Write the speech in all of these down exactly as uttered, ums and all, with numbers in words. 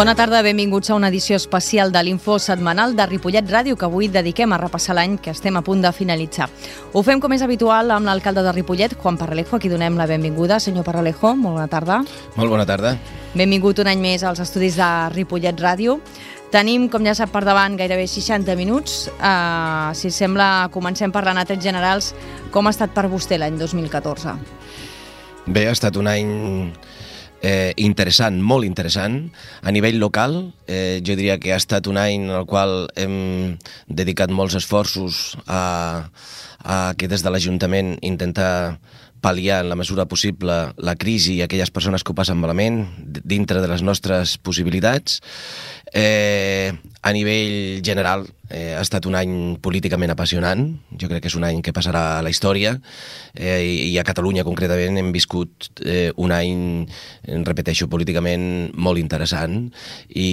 Bona tarda, benvinguts a una edició especial de l'Info setmanal de Ripollet Ràdio, que avui dediquem a repassar l'any que estem a punt de finalitzar. Ho fem com és habitual amb l'alcalde de Ripollet, Juan Parralejo, a qui donem la benvinguda. Senyor Parralejo, molt bona tarda. Molt bona tarda. Benvingut un any més als estudis de Ripollet Ràdio. Tenim, com ja sap, per davant gairebé seixanta minuts. Uh, si sembla, comencem parlant a trets generals. Com ha estat per vostè l'any dos mil catorze? Bé, ha estat un any eh, interessant, molt interessant. A nivell local, eh, jo diria que ha estat un any en el qual hem dedicat molts esforços a, a que des de l'Ajuntament intentar pal·liar en la mesura possible la crisi i aquelles persones que ho passen malament dintre de les nostres possibilitats. Eh, a nivell general eh, ha estat un any políticament apassionant. Jo crec que és un any que passarà a la història, eh, i a Catalunya concretament hem viscut eh, un any, repeteixo, políticament molt interessant, i,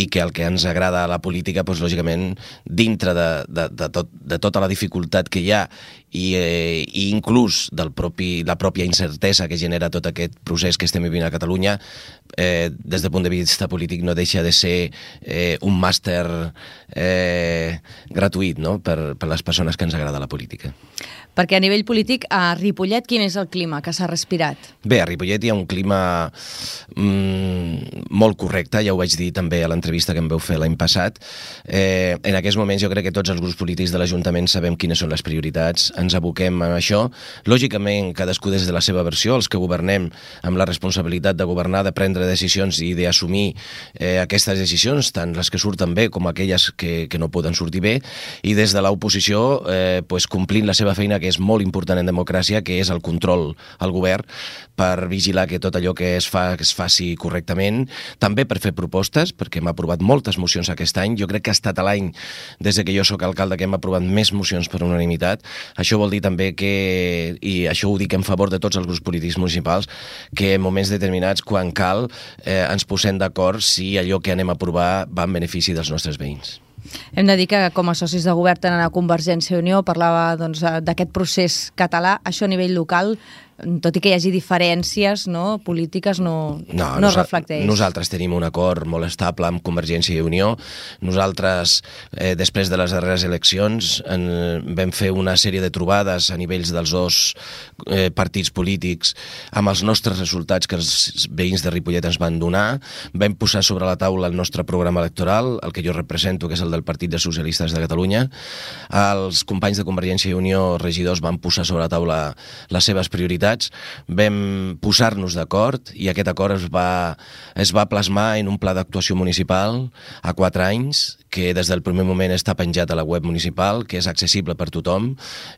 i que el que ens agrada a la política, doncs, lògicament, dintre de, de, de, tot, de tota la dificultat que hi ha i, eh, i inclús del propi, la pròpia incertesa que genera tot aquest procés que estem vivint a Catalunya, eh, des del punt de vista polític no deixa de ser eh, un màster eh, gratuït, no?, per, per les persones que ens agrada la política. Perquè a nivell polític, a Ripollet, quin és el clima que s'ha respirat? Bé, a Ripollet hi ha un clima mm, molt correcte, ja ho vaig dir també a l'entrevista que em vau fer l'any passat. Eh, en aquests moments jo crec que tots els grups polítics de l'Ajuntament sabem quines són les prioritats, ens aboquem a això. Lògicament, cadascú des de la seva versió, els que governem amb la responsabilitat de governar, de prendre decisions i d'assumir eh, aquestes decisions, tant les que surten bé com aquelles que, que no poden sortir bé, i des de l'oposició eh, pues, complint la seva feina, que és molt important en democràcia, que és el control al govern, per vigilar que tot allò que es fa que es faci correctament, també per fer propostes, perquè hem aprovat moltes mocions aquest any. Jo crec que ha estat l'any, des que jo sóc alcalde, que hem aprovat més mocions per unanimitat. Això vol dir també que, i això ho dic en favor de tots els grups polítics municipals, que en moments determinats, quan cal, eh, ens posem d'acord si allò que anem a aprovar va en benefici dels nostres veïns. Hem de dir que com a socis de govern tenen a Convergència i Unió, parlava doncs, d'aquest procés català. Això a nivell local, tot i que hi hagi diferències, no, polítiques, no, no, no es reflecteix. Nosaltres tenim un acord molt estable amb Convergència i Unió. Nosaltres, eh, després de les darreres eleccions, en, vam fer una sèrie de trobades a nivells dels dos eh, partits polítics amb els nostres resultats que els veïns de Ripollet ens van donar. Vam posar sobre la taula el nostre programa electoral, el que jo represento, que és el del Partit dels Socialistes de Catalunya. Els companys de Convergència i Unió, regidors, van posar sobre la taula les seves prioritats. Vam posar-nos d'acord i aquest acord es va, es va plasmar en un pla d'actuació municipal a quatre anys, que des del primer moment està penjat a la web municipal, que és accessible per tothom,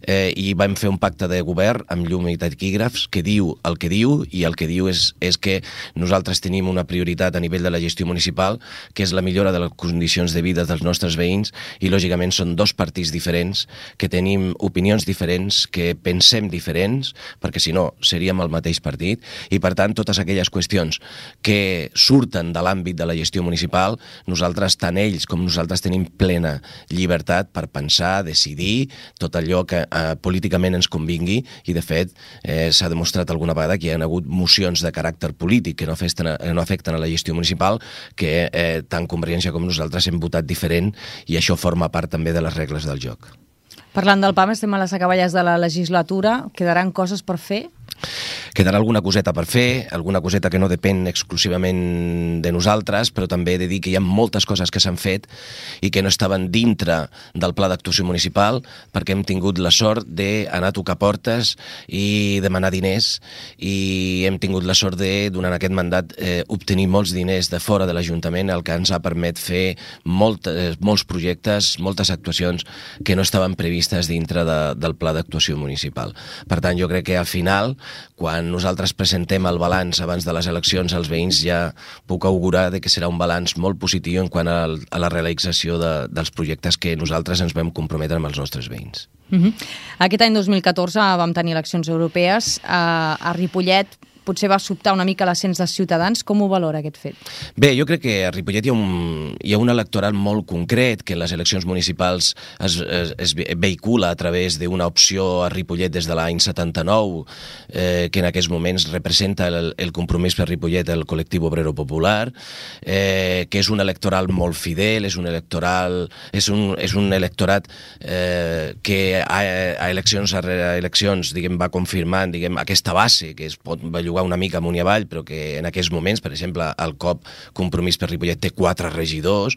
eh, i vam fer un pacte de govern amb llum i taquígrafs que diu el que diu, i el que diu és, és que nosaltres tenim una prioritat a nivell de la gestió municipal, que és la millora de les condicions de vida dels nostres veïns, i lògicament són dos partits diferents, que tenim opinions diferents, que pensem diferents, perquè si no seríem el mateix partit, i per tant totes aquelles qüestions que surten de l'àmbit de la gestió municipal, nosaltres, tant ells com nosaltres, nosaltres tenim plena llibertat per pensar, decidir tot allò que eh, políticament ens convingui, i de fet eh, s'ha demostrat alguna vegada que hi ha hagut mocions de caràcter polític que no afecten, no afecten a la gestió municipal, que eh, tant Convergència com nosaltres hem votat diferent, i això forma part també de les regles del joc. Parlant del P A M, estem a les acaballes de la legislatura. Quedaran coses per fer? Quedarà alguna coseta per fer, alguna coseta que no depèn exclusivament de nosaltres, però també he de dir que hi ha moltes coses que s'han fet i que no estaven dintre del pla d'actuació municipal, perquè hem tingut la sort d'anar a tocar portes i demanar diners, i hem tingut la sort de, durant aquest mandat, eh, obtenir molts diners de fora de l'Ajuntament, el que ens ha permet fer molt, eh, molts projectes, moltes actuacions que no estaven previstes dintre de, del pla d'actuació municipal. Per tant, jo crec que al final, quan nosaltres presentem el balanç abans de les eleccions als veïns, ja puc augurar de que serà un balanç molt positiu en quant a, a la realització de, dels projectes que nosaltres ens vam comprometre amb els nostres veïns. Uh-huh. Aquest any dos mil catorze vam tenir eleccions europees. A, a Ripollet potser va sobtar una mica l'ascens de Ciutadans. Com ho valora aquest fet? Bé, jo crec que a Ripollet hi ha un, hi ha un electorat molt concret que en les eleccions municipals es, es, es vehicula a través d'una opció a Ripollet des de l'any setanta-nou, eh, que en aquests moments representa el, el compromís per Ripollet, el col·lectiu obrero popular, eh, que és un electoral molt fidel, és un electoral, és un, és un electorat eh, que a, a eleccions a eleccions diguem, va confirmant diguem, aquesta base que es pot bellugar una mica amunt i avall, però que en aquests moments, per exemple, el C O P Compromís per Ripollet té quatre regidors,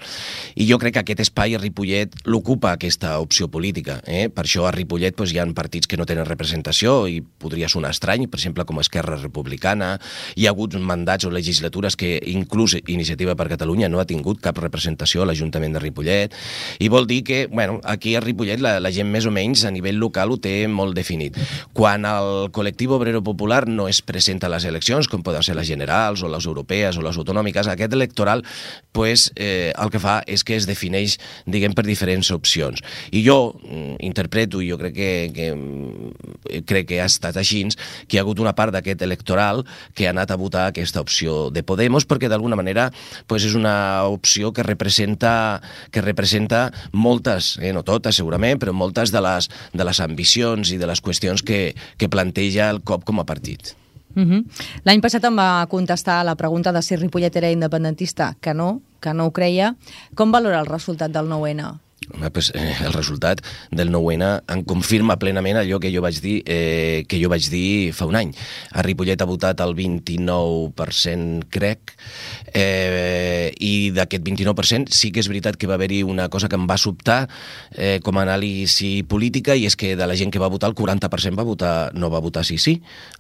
i jo crec que aquest espai a Ripollet l'ocupa aquesta opció política. Eh? Per això a Ripollet doncs, hi ha partits que no tenen representació i podria sonar estrany, per exemple, com Esquerra Republicana. Hi ha hagut mandats o legislatures que inclús Iniciativa per Catalunya no ha tingut cap representació a l'Ajuntament de Ripollet, i vol dir que bueno, aquí a Ripollet la, la gent més o menys a nivell local ho té molt definit. Quan el col·lectiu obrero popular no es presenta a les eleccions, com poden ser les generals o les europees o les autonòmiques, aquest electoral pues, eh, el que fa és que es defineix diguem, per diferents opcions. I jo mm, interpreto, i jo crec que, que, crec que ha estat així, que hi ha hagut una part d'aquest electoral que ha anat a votar aquesta opció de Podemos, perquè d'alguna manera pues, és una opció que representa, que representa moltes, eh, no totes segurament, però moltes de les, de les ambicions i de les qüestions que, que planteja el C O P com a partit. Uh-huh. L'any passat em va contestar a la pregunta de si Ripollet era independentista, que no, que no ho creia. Com valora el resultat del nou ene? Pues, eh, el resultat del nou ene em confirma plenament allò que jo vaig dir eh, que jo vaig dir fa un any. A Ripollet ha votat el vint-i-nou per cent, crec, eh, i d'aquest vint-i-nou per cent sí que és veritat que va haver-hi una cosa que em va sobtar eh, com a anàlisi política, i és que de la gent que va votar, el quaranta per cent va votar, no va votar sí sí,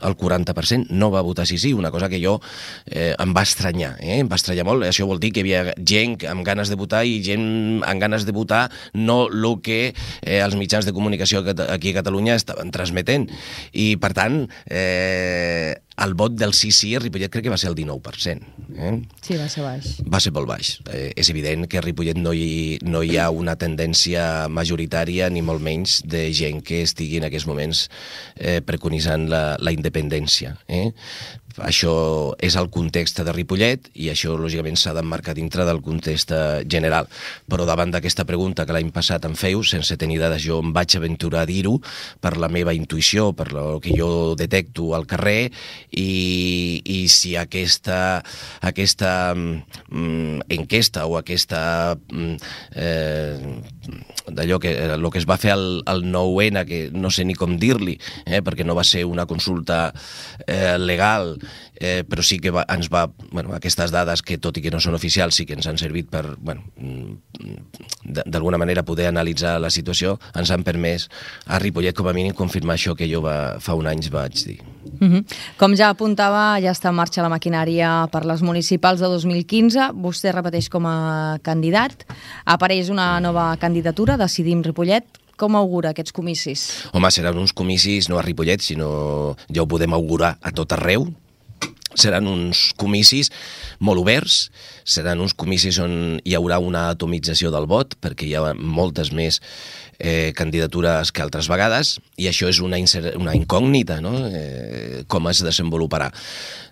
el quaranta per cent no va votar sí sí, una cosa que jo eh, em va estranyar, eh? em va estranyar molt. Això vol dir que hi havia gent amb ganes de votar i gent amb ganes de votar no el que eh, els mitjans de comunicació aquí a Catalunya estaven transmetent. I, per tant, eh, el vot del sí sí a Ripollet crec que va ser el dinou per cent. Eh? Sí, va ser baix. Va ser molt baix. Eh, és evident que a Ripollet no hi, no hi ha una tendència majoritària, ni molt menys, de gent que estigui en aquests moments eh, preconitzant la, la independència. Eh? Això és el context de Ripollet i això, lògicament, s'ha d'emmarcar dintre del context general. Però davant d'aquesta pregunta que l'any passat em feu, sense tenir dades, jo em vaig aventurar a dir-ho per la meva intuïció, per el que jo detecto al carrer, i, i si aquesta, aquesta mm, enquesta o aquesta mm, eh, d'allò que, el que es va fer al, al nou ene, que no sé ni com dir-li, eh, perquè no va ser una consulta eh, legal, eh, però sí que va, ens va, bueno, aquestes dades que tot i que no són oficials sí que ens han servit per, bueno, d'alguna manera poder analitzar la situació, ens han permès a Ripollet com a mínim confirmar això que jo va, fa un any vaig dir. Uh-huh. Com ja apuntava, ja està en marxa la maquinària per les municipals de dos mil quinze, vostè repeteix com a candidat, apareix una nova candidatura, Decidim Ripollet. Com augura aquests comicis? Home, seran uns comicis no a Ripollet, sinó ja ho podem augurar a tot arreu. Seran uns comicis molt oberts, seran uns comicis on hi haurà una atomització del vot, perquè hi ha moltes més eh, candidatures que altres vegades, i això és una, una incògnita, no? eh, com es desenvoluparà.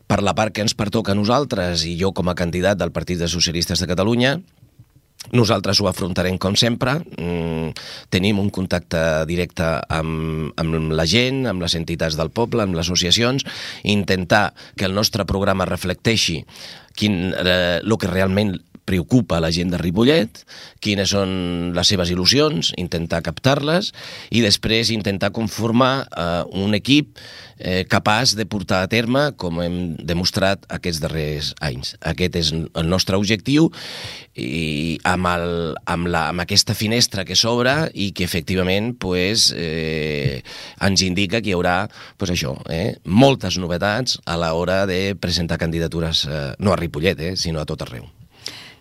Per la part que ens pertoca a nosaltres, i jo com a candidat del Partit dels Socialistes de Catalunya, nosaltres ho afrontarem com sempre, mm, tenim un contacte directe amb, amb la gent, amb les entitats del poble, amb les associacions, intentar que el nostre programa reflecteixi quin, eh, el que realment preocupa a la gent de Ripollet, quines són les seves il·lusions, intentar captar-les i després intentar conformar eh, un equip eh, capaç de portar a terme com hem demostrat aquests darrers anys. Aquest és el nostre objectiu i amb, el, amb, la, amb aquesta finestra que s'obre i que efectivament pues, eh, ens indica que hi haurà pues, això, eh, moltes novetats a l'hora de presentar candidatures, eh, no a Ripollet, eh, sinó a tot arreu.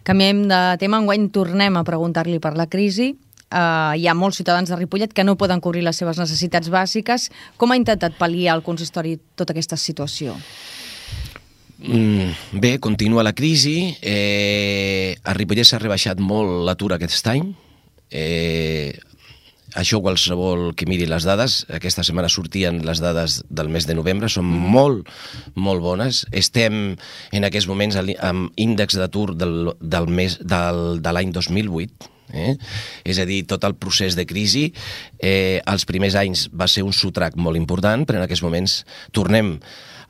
Canviem de tema, enguany tornem a preguntar-li per la crisi. Uh, hi ha molts ciutadans de Ripollet que no poden cobrir les seves necessitats bàsiques. Com ha intentat pal·liar el consistori tota aquesta situació? Mm, bé, continua la crisi. Eh, a Ripollet s'ha rebaixat molt l'atur aquest any. Eh, això qualsevol que miri les dades, aquesta setmana sortien les dades del mes de novembre, són molt, molt bones. Estem en aquests moments amb índex d'atur del, del mes del, de l'any dos mil vuit, eh? És a dir, tot el procés de crisi, eh, els primers anys va ser un sotrac molt important, però en aquests moments tornem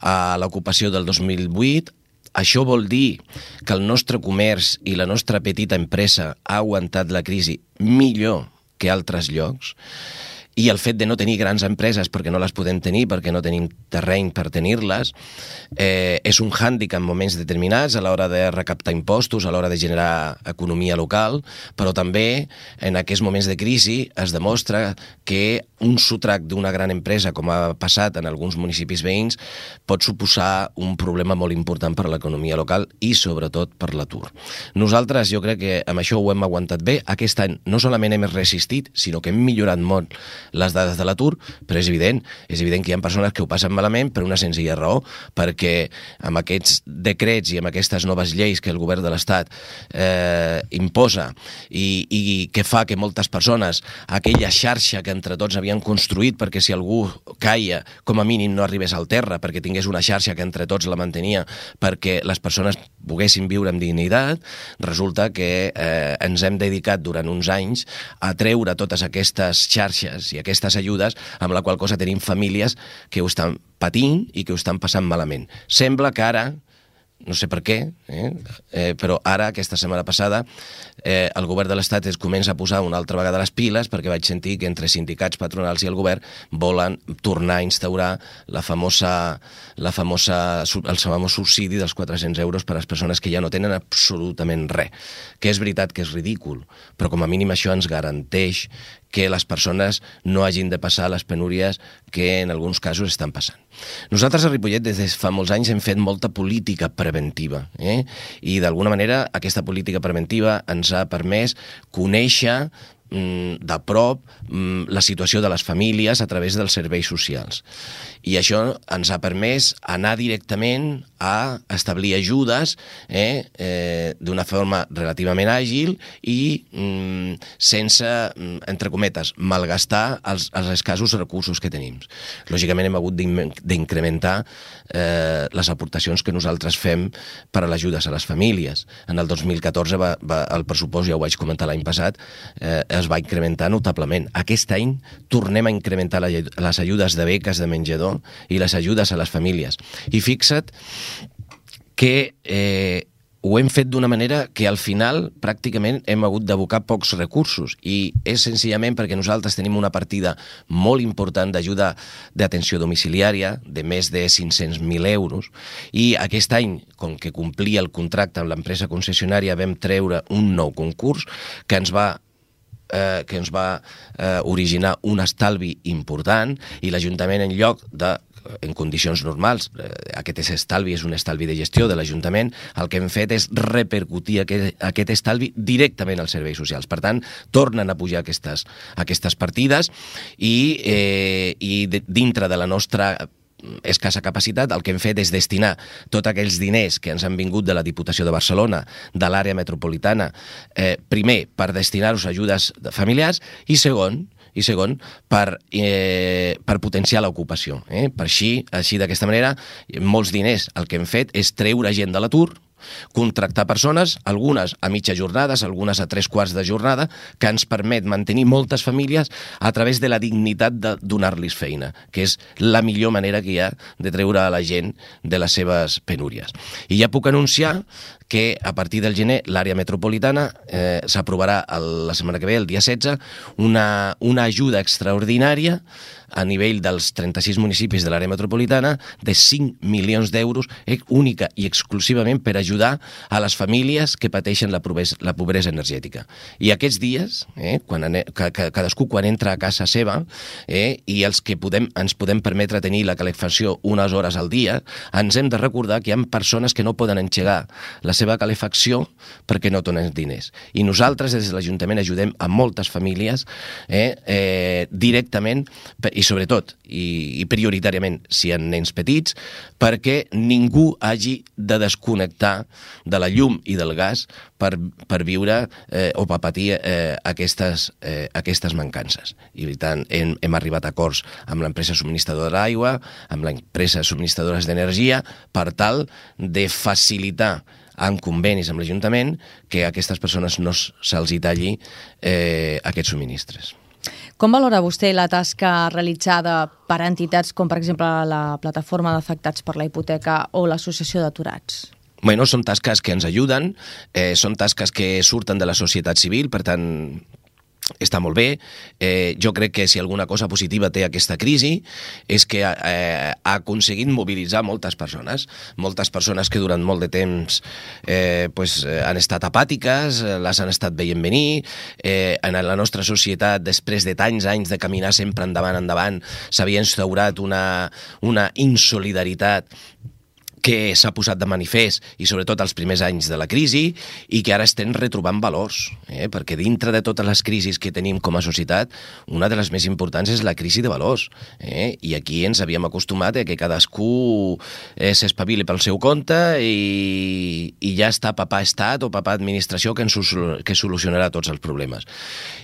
a l'ocupació del dos mil vuit. Això vol dir que el nostre comerç i la nostra petita empresa ha aguantat la crisi millor que altres llocs, i el fet de no tenir grans empreses perquè no les podem tenir, perquè no tenim terreny per tenir-les, eh, és un hàndicap en moments determinats a l'hora de recaptar impostos, a l'hora de generar economia local, però també en aquests moments de crisi es demostra que un sotrac d'una gran empresa, com ha passat en alguns municipis veïns, pot suposar un problema molt important per a l'economia local i sobretot per l'atur. Nosaltres jo crec que amb això ho hem aguantat bé. Aquest any no solament hem resistit, sinó que hem millorat molt les dades de l'atur, però és evident, és evident que hi ha persones que ho passen malament per una senzilla raó, perquè amb aquests decrets i amb aquestes noves lleis que el govern de l'Estat eh, imposa i, i que fa que moltes persones, aquella xarxa que entre tots havien construït perquè si algú caia, com a mínim no arribés al terra, perquè tingués una xarxa que entre tots la mantenia perquè les persones poguessin viure amb dignitat, resulta que eh, ens hem dedicat durant uns anys a treure totes aquestes xarxes i aquestes ajudes, amb la qual cosa tenim famílies que ho estan patint i que ho estan passant malament. Sembla que ara, no sé per què, eh? Eh, però ara, aquesta setmana passada, eh, el govern de l'Estat es comença a posar una altra vegada les piles, perquè vaig sentir que entre sindicats, patronals i el govern volen tornar a instaurar la famosa, la famosa, el famós subsidi dels quatre-cents euros per a les persones que ja no tenen absolutament res. Que és veritat que és ridícul, però com a mínim això ens garanteix que les persones no hagin de passar les penúries que en alguns casos estan passant. Nosaltres a Ripollet des de fa molts anys hem fet molta política preventiva, eh? I d'alguna manera aquesta política preventiva ens ha permès conèixer de prop la situació de les famílies a través dels serveis socials. I això ens ha permès anar directament a establir ajudes eh, eh, d'una forma relativament àgil i mm, sense, entre cometes, malgastar els, els escassos recursos que tenim. Lògicament hem hagut d'incrementar eh, les aportacions que nosaltres fem per a les ajudes a les famílies. En el dos mil catorze va, va, el pressupost, ja ho vaig comentar l'any passat, eh, es va incrementar notablement. Aquest any tornem a incrementar les ajudes de beques de menjador i les ajudes a les famílies. I fixa't que eh, ho hem fet d'una manera que al final pràcticament hem hagut d'abocar pocs recursos i és senzillament perquè nosaltres tenim una partida molt important d'ajuda d'atenció domiciliària de més de cinc-cents mil euros i aquest any, com que complia el contracte amb l'empresa concessionària, vam treure un nou concurs que ens va Eh, que ens va eh, originar un estalvi important i l'Ajuntament, en lloc de, en condicions normals, eh, aquest estalvi és un estalvi de gestió de l'Ajuntament, el que hem fet és repercutir aquest, aquest estalvi directament als serveis socials. Per tant, tornen a pujar aquestes, aquestes partides i, eh, i de, dintre de la nostra escassa capacitat, el que hem fet és destinar tots aquells diners que ens han vingut de la Diputació de Barcelona, de l'àrea metropolitana, eh, primer per destinar-los a ajudes familiars i segon, i segon per, eh, per potenciar l'ocupació. Eh? Per així, així d'aquesta manera, molts diners el que hem fet és treure gent de l'atur, contractar persones, algunes a mitja jornada, algunes a tres quarts de jornada, que ens permet mantenir moltes famílies a través de la dignitat de donar-los feina, que és la millor manera que hi ha de treure a la gent de les seves penúries. I ja puc anunciar que a partir del gener l'àrea metropolitana eh, s'aprovarà la setmana que ve, el dia setze, una, una ajuda extraordinària a nivell dels trenta-sis municipis de l'àrea metropolitana de cinc milions d'euros única i exclusivament per ajudar a les famílies que pateixen la pobresa, la pobresa energètica. I aquests dies, eh, quan ane, que, que cadascú quan entra a casa seva eh, i els que podem, ens podem permetre tenir la calefacció unes hores al dia, ens hem de recordar que hi ha persones que no poden engegar la seva calefacció perquè no tenen diners. I nosaltres des de l'Ajuntament ajudem a moltes famílies eh, eh, directament i i sobretot, i, i prioritàriament, si hi ha nens petits, perquè ningú hagi de desconnectar de la llum i del gas per, per viure eh, o per patir eh, aquestes, eh, aquestes mancances. I per tant, hem, hem arribat a acords amb l'empresa subministradora d'aigua, amb l'empresa subministradores d'energia, per tal de facilitar en convenis amb l'Ajuntament que a aquestes persones no se'ls hi talli eh, aquests subministres. Com valora vostè la tasca realitzada per entitats com, per exemple, la Plataforma d'Afectats per la Hipoteca o l'Associació d'Aturats? Bueno, són tasques que ens ajuden, eh, són tasques que surten de la societat civil, per tant, està molt bé. Eh, jo crec que si alguna cosa positiva té aquesta crisi és que eh, ha aconseguit mobilitzar moltes persones, moltes persones que durant molt de temps eh, pues, eh, han estat apàtiques, les han estat veient venir. Eh, en la nostra societat, després de tants anys de caminar sempre endavant, endavant, s'havia instaurat una, una insolidaritat que s'ha posat de manifest, i sobretot als primers anys de la crisi, i que ara estem retrobant valors, eh? perquè dintre de totes les crisis que tenim com a societat, una de les més importants és la crisi de valors, eh? i aquí ens havíem acostumat a que cadascú eh, s'espavili pel seu compte i, i ja està papà estat o papà administració que, ens, que solucionarà tots els problemes.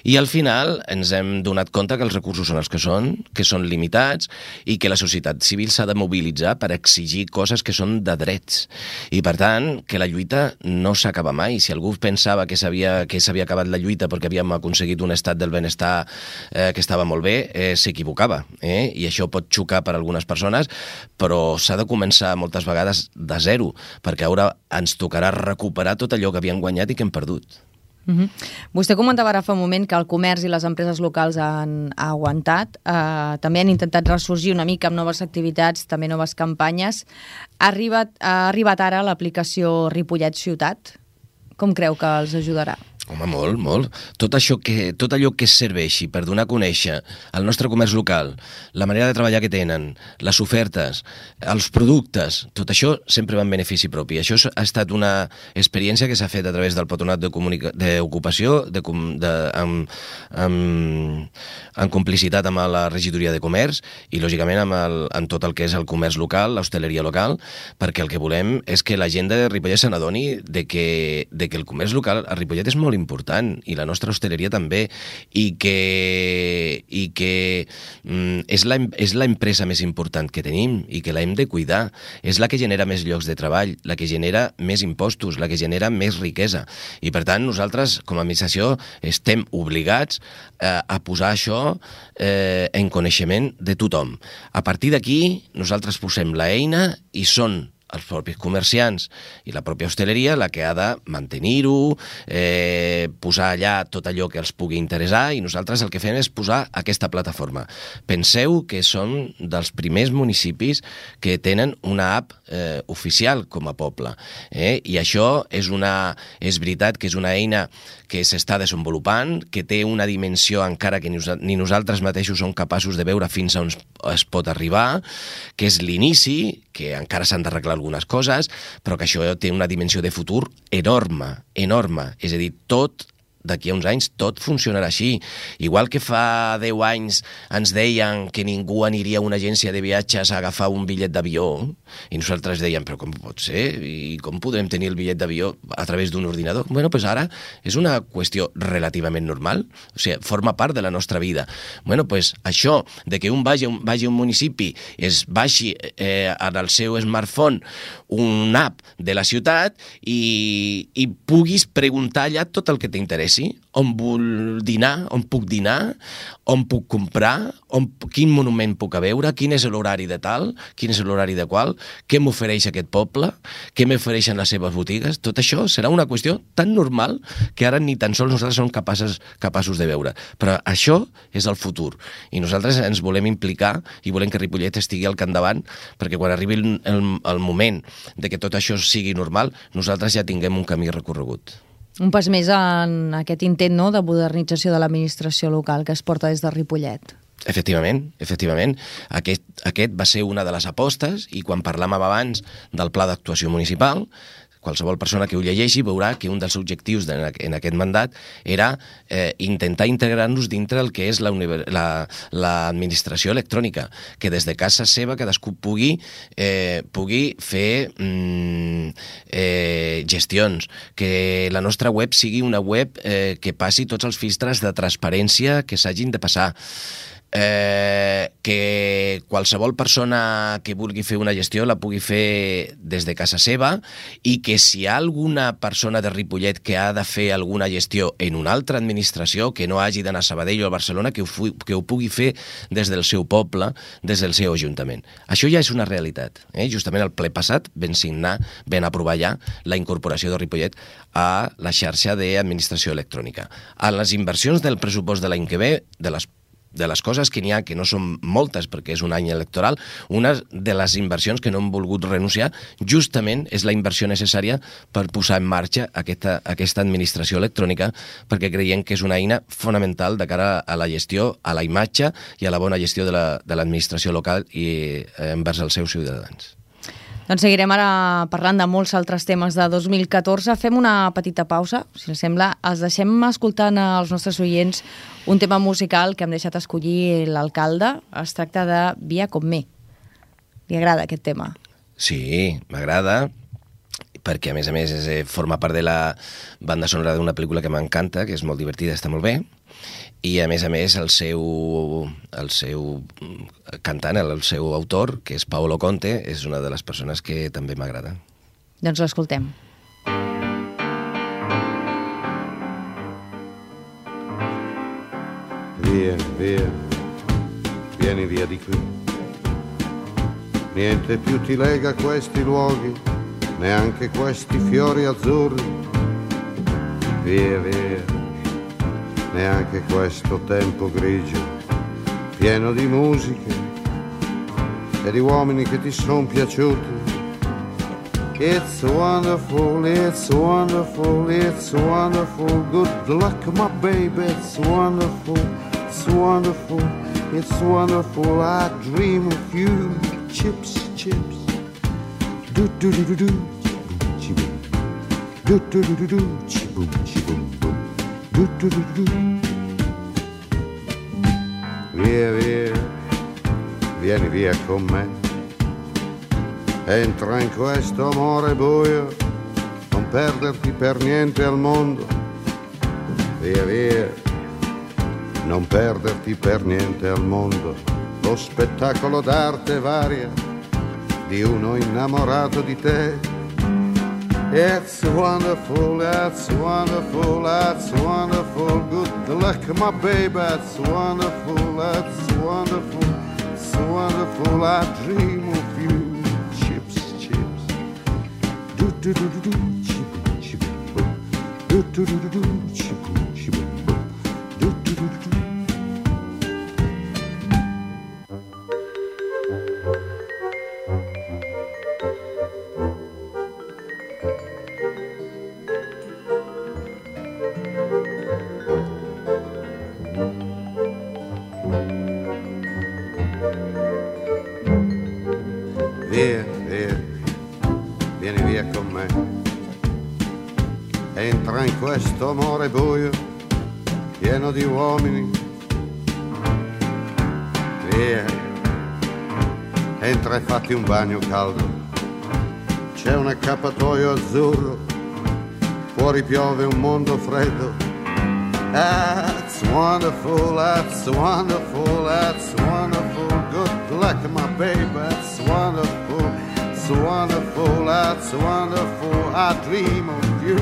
I al final ens hem donat compte que els recursos són els que són, que són limitats, i que la societat civil s'ha de mobilitzar per exigir coses que són de drets. I per tant, que la lluita no s'acaba mai. Si algú pensava que s'havia que s'havia acabat la lluita perquè havíem aconseguit un estat del benestar eh, que estava molt bé, eh, s'equivocava. Eh? I això pot xocar per algunes persones, però s'ha de començar moltes vegades de zero, perquè ara ens tocarà recuperar tot allò que havíem guanyat i que hem perdut. Uh-huh. Vostè comentava ara fa un moment que el comerç i les empreses locals han aguantat, eh, també han intentat ressorgir una mica amb noves activitats, també noves campanyes. Ha arribat, ha arribat ara l'aplicació Ripollet Ciutat. Com creu que els ajudarà? Home, molt, molt. Tot, això que, tot allò que serveixi per donar a conèixer el nostre comerç local, la manera de treballar que tenen, les ofertes, els productes, tot això sempre va en benefici propi. Això ha estat una experiència que s'ha fet a través del Patronat d'Ocupació, de, de, amb, amb, en complicitat amb la Regidoria de Comerç i, lògicament, amb, el, amb tot el que és el comerç local, l'hostaleria local, perquè el que volem és que la gent de Ripollet se n'adoni de que, de que el comerç local a Ripollet és molt important, i la nostra hostaleria també, i que, i que mm, és, la, és la empresa més important que tenim i que la hem de cuidar. És la que genera més llocs de treball, la que genera més impostos, la que genera més riquesa. I per tant, nosaltres, com a administració, estem obligats eh, a posar això eh, en coneixement de tothom. A partir d'aquí, nosaltres posem l'eina i són els propis comerciants i la pròpia hostaleria la que ha de mantenir-ho, eh, posar allà tot allò que els pugui interessar, i nosaltres el que fem és posar aquesta plataforma. Penseu que som dels primers municipis que tenen una app eh, oficial com a poble, eh? I això és, una, és veritat que és una eina que s'està desenvolupant, que té una dimensió encara que ni nosaltres mateixos som capaços de veure fins on es pot arribar, que és l'inici, que encara s'han d'arreglar algunes coses, però que això té una dimensió de futur enorme, enorme. És a dir, tot d'aquí a uns anys tot funcionarà així. Igual que fa deu anys ens deien que ningú aniria a una agència de viatges a agafar un bitllet d'avió, i nosaltres dèiem, però com pot ser? I com podrem tenir el bitllet d'avió a través d'un ordinador? Bueno, doncs ara és una qüestió relativament normal, o sigui, forma part de la nostra vida. Bueno, doncs això, de que un vagi, vagi a un municipi, es baixi eh, en el seu smartphone un app de la ciutat i, i puguis preguntar allà tot el que t'interessi, on vull dinar, on puc dinar, on puc comprar, on, quin monument puc a veure, quin és l'horari de tal, quin és l'horari de qual, què m'ofereix aquest poble, què m'ofereixen les seves botigues. Tot això serà una qüestió tan normal que ara ni tan sols nosaltres som capaces, capaços de veure. Però això és el futur, i nosaltres ens volem implicar i volem que Ripollet estigui al capdavant, perquè quan arribi el, el, el moment de que tot això sigui normal, nosaltres ja tinguem un camí recorregut. Un pas més en aquest intent, no?, de modernització de l'administració local que es porta des de Ripollet. Efectivament, efectivament. Aquest, aquest va ser una de les apostes, i quan parlàvem abans del pla d'actuació municipal, qualsevol persona que ho llegeixi veurà que un dels objectius de, en aquest mandat era eh, intentar integrar-nos dintre el que és l'administració la, la, electrònica, que des de casa seva cadascú pugui, eh, pugui fer mm, eh, gestions, que la nostra web sigui una web eh, que passi tots els filtres de transparència que s'hagin de passar. Eh, que qualsevol persona que vulgui fer una gestió la pugui fer des de casa seva i que si hi ha alguna persona de Ripollet que ha de fer alguna gestió en una altra administració, que no hagi d'anar a Sabadell o a Barcelona, que ho, que ho pugui fer des del seu poble, des del seu ajuntament. Això ja és una realitat. Eh? Justament el ple passat vam signar, vam aprovar ja la incorporació de Ripollet a la xarxa d'administració electrònica. A les inversions del pressupost de l'any que ve, de les de les coses que n'hi ha, que no són moltes perquè és un any electoral, una de les inversions que no hem volgut renunciar justament és la inversió necessària per posar en marxa aquesta, aquesta administració electrònica, perquè creiem que és una eina fonamental de cara a la gestió, a la imatge i a la bona gestió de l'administració la, local i eh, envers els seus ciutadans. Doncs seguirem ara parlant de molts altres temes de dos mil catorze. Fem una petita pausa, si us sembla. Els deixem escoltant als nostres oients un tema musical que hem deixat escollir l'alcalde. Es tracta de Via con me. Li agrada aquest tema? Sí, m'agrada, perquè a més a més és, forma part de la banda sonora d'una pel·lícula que m'encanta, que és molt divertida, està molt bé, i a més a més el seu, el seu cantant, el seu autor, que és Paolo Conte, és una de les persones que també m'agrada. Doncs l'escoltem. Via, via, vieni via di qui. Niente più ti lega a questi luoghi, neanche questi fiori azzurri. Via, via, neanche questo tempo grigio, pieno di musiche e di uomini che ti son piaciuti. It's wonderful, it's wonderful, it's wonderful. Good luck, my baby, it's wonderful, it's wonderful, it's wonderful. I dream of you, chips, chips. Do do do do do, chi-boom, do do do do do, chi-boom, chi-boom, boom. Do do do do. Via, via, vieni via con me. Entra in questo amore buio, non perderti per niente al mondo. Via, via, non perderti per niente al mondo. Lo spettacolo d'arte varia di uno innamorato di te. It's wonderful, it's wonderful, it's wonderful. Good luck, my baby, it's wonderful, it's wonderful, it's wonderful. I dream of you. Do do do do, chi-boom, chi-boom, boom. Do do do do do, chi-boom, chi-boom, boom. Do do do do do. Via, via, vieni via con me. Entra in questo amore buio, pieno di uomini. Via, entra e fatti un bagno caldo. C'è un accappatoio azzurro, fuori piove un mondo freddo. That's wonderful, that's wonderful, that's wonderful. Good luck, my baby, that's wonderful, it's wonderful, that's wonderful. I dream of you.